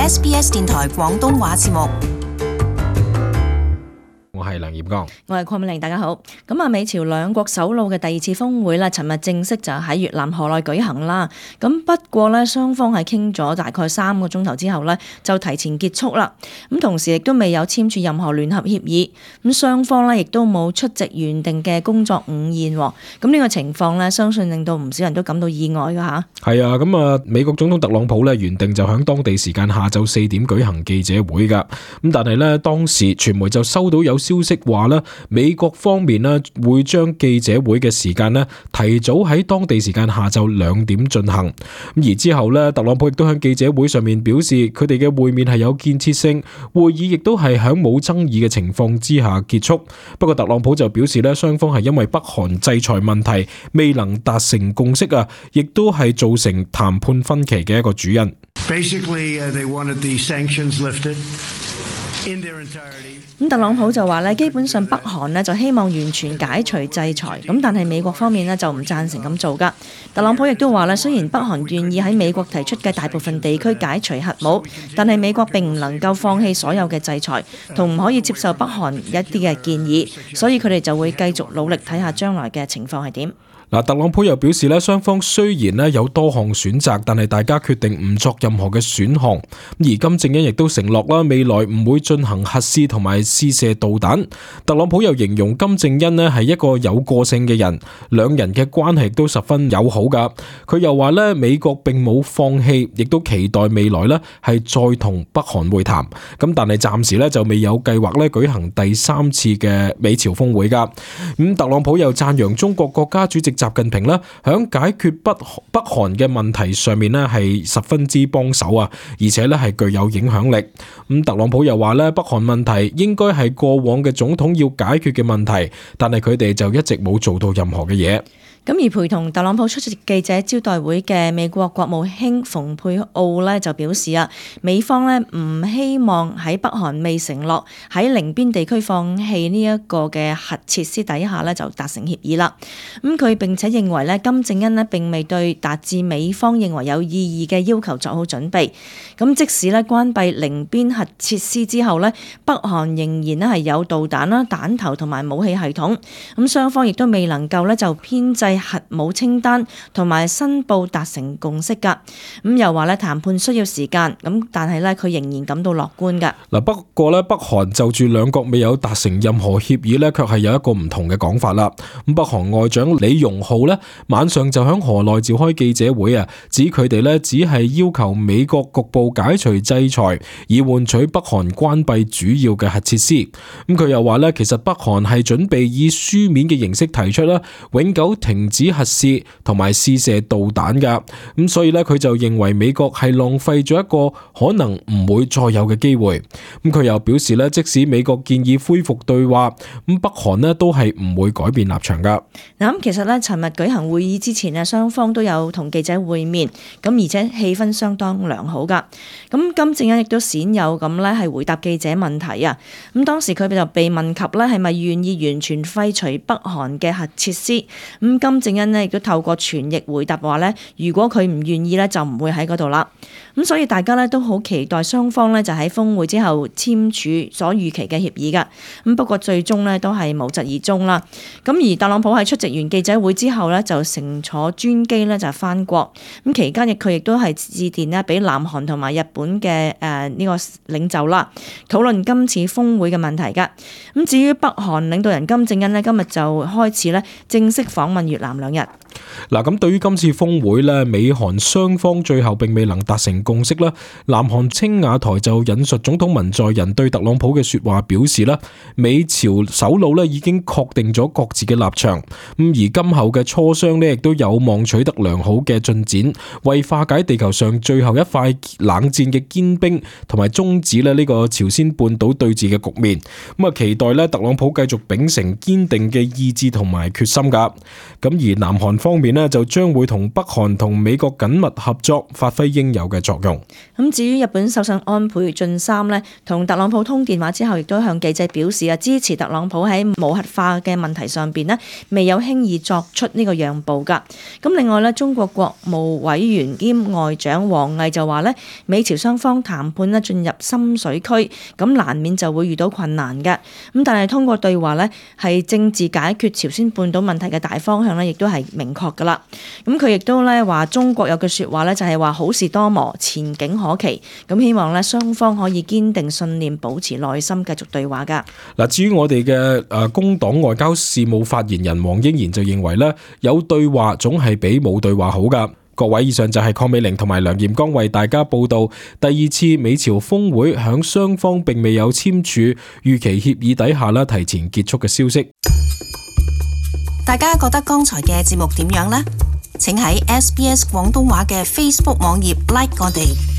SBS 電台廣東話節目。我係梁焱剛，我係鄺美玲，大家好。咁美朝兩國首腦嘅第二次峰會咧，尋日正式就喺越南河內舉行啦。咁不過咧，雙方係傾咗大概3個鐘頭之後咧，就提前結束啦。咁同時亦都未有簽署任何聯合協議。咁雙方咧亦都冇出席原定嘅工作午宴。咁呢個情況咧，相信令到唔少人都感到意外噶吓。係啊，咁美國總統特朗普咧原定就響當地時間下晝4點舉行記者會噶。咁但係咧，當時傳媒就收到有消息話咧，美國方面咧會將記者會嘅時間咧提早喺當地時間下晝2點進行。咁而之後咧，特朗普亦都喺記者會上面表示，佢哋嘅會面係有建設性，會議亦都係喺冇爭議嘅情況之下結束。不過特朗普就表示咧，雙方係因為北韓制裁問題未能達成共識啊，亦都係造成談判分歧嘅一個主因。Basically, they wanted the sanctions lifted in their entirety. 咁特朗普就話咧，基本上北韓咧就希望完全解除制裁，咁但係美國方面咧就唔贊成咁做噶。特朗普亦都話咧，雖然北韓願意喺美國提出嘅大部分地區解除核武，但係美國並唔能夠放棄所有嘅制裁，同唔可以接受北韓一啲嘅建議，所以佢哋就會繼續努力睇下將來嘅情況係點。特朗普又表示咧，雙方雖然咧有多項選擇，但係大家決定唔作任何嘅選項。而金正恩亦都承諾啦，未來唔會進行核試同埋試射導彈。特朗普又形容金正恩咧係一個有個性嘅人，兩人嘅關係都十分友好噶。佢又話咧，美國並冇放棄，亦都期待未來咧係再同北韓會談。咁但係暫時咧就未有計劃咧舉行第3次嘅美朝峰會噶。特朗普又讚揚中國國家主席習近平咧，響解決北韓嘅問題上面咧係十分之幫手啊，而且咧係具有影響力。特朗普又話咧，北韓問題應該係過往嘅總統要解決嘅問題，但係佢哋就一直冇做到任何嘅嘢。咁而陪同特朗普出席記者招待會嘅美國國務卿蓬佩奧咧就表示啊，美方咧唔希望喺北韓未承諾喺寧邊地區放棄呢一個嘅核設施底下咧就達成協議啦。佢並且認為咧，金正恩咧並未對達至美方認為有意義嘅要求作好準備。咁即使咧關閉寧邊核設施之後咧，北韓仍然咧係有導彈啦、彈頭同埋武器系統。咁雙方亦都未能夠咧就編制核武清單同埋申報達成共識㗎。又話咧談判需要時間，但係咧佢仍然感到樂觀㗎。不過咧，北韓就住兩國未有達成任何協議咧，卻係有一個唔同嘅講法啦。北韓外長李容浩咧晚上就響河內召開記者會啊，指佢哋咧只係要求美國局部解除制裁，以換取北韓關閉主要嘅核設施。佢又話咧，其實北韓係準備以書面嘅形式提出啦，永久停止核試同埋試射導彈噶。所以咧佢就認為美國係浪費咗一個可能唔會再有嘅機會。佢又表示咧，即使美國建議恢復對話，北韓咧都係唔會改變立場噶。其實咧，尋日舉行會議之前咧，雙方都有同記者會面，而且氣氛相當良好噶。金正恩亦都鮮有咁咧係回答記者問題啊。當時佢就被問及咧係咪願意完全廢除北韓嘅核設施，金正恩咧亦都透過傳譯回答話咧，如果佢唔願意咧就唔會喺嗰度啦。所以大家咧都好期待雙方咧就喺峰會之後簽署所預期嘅協議噶。不過最終咧都係無疾而終啦。而特朗普喺出席完記者會之後咧，就乘坐專機咧就返國。期間佢亦都係致電咧俾南韓同埋日本嘅呢個領袖啦，討論今次峰會嘅問題噶。至於北韓領導人金正恩咧，今日就開始咧正式訪問越南2日。咁對於今次峰會咧，美韓雙方最後並未能達成共識啦。南韓青瓦台就引述總統文在寅對特朗普嘅說話表示啦，美朝首腦咧已經確定咗各自嘅立場，而今後嘅磋商咧亦都有望取得良好嘅進展，為化解地球上最後一塊冷戰嘅堅冰，同埋終止咧呢個朝鮮半島對峙嘅局面。期待咧特朗普繼續秉承堅定嘅意志同埋決心噶。而南韓方面呢，就將會同北韓同美國緊密合作，發揮應有嘅作用。咁至於日本首相安倍晉三呢，同特朗普通電話之後，亦都向記者表示支持特朗普喺無核化嘅問題上邊呢，未有輕易作出呢個讓步㗎。咁另外呢，中國國務委員兼外長王毅就話呢，美朝雙方談判呢進入深水區，咁難免就會遇到困難嘅。咁但係通過對話呢，係政治解決朝鮮半島問題嘅大方向呢，亦都係明確㗎啦。咁佢亦都呢話，中國有句説話呢，就係話好事多磨，前景可期。咁希望呢，雙方可以堅定信念，保持耐心，繼續對話㗎。嗱，至於我哋嘅工黨外交事務發言人黃英賢就認為呢，有對話總係比冇對話好㗎。各位，以上就係鄺美玲同埋梁炎剛為大家報道第二次美朝峰會響雙方並未有簽署預期協議底下提前結束嘅消息。大家覺得剛才嘅節目點樣呢？請喺SBS 廣東話嘅 Facebook 網頁 like 我哋。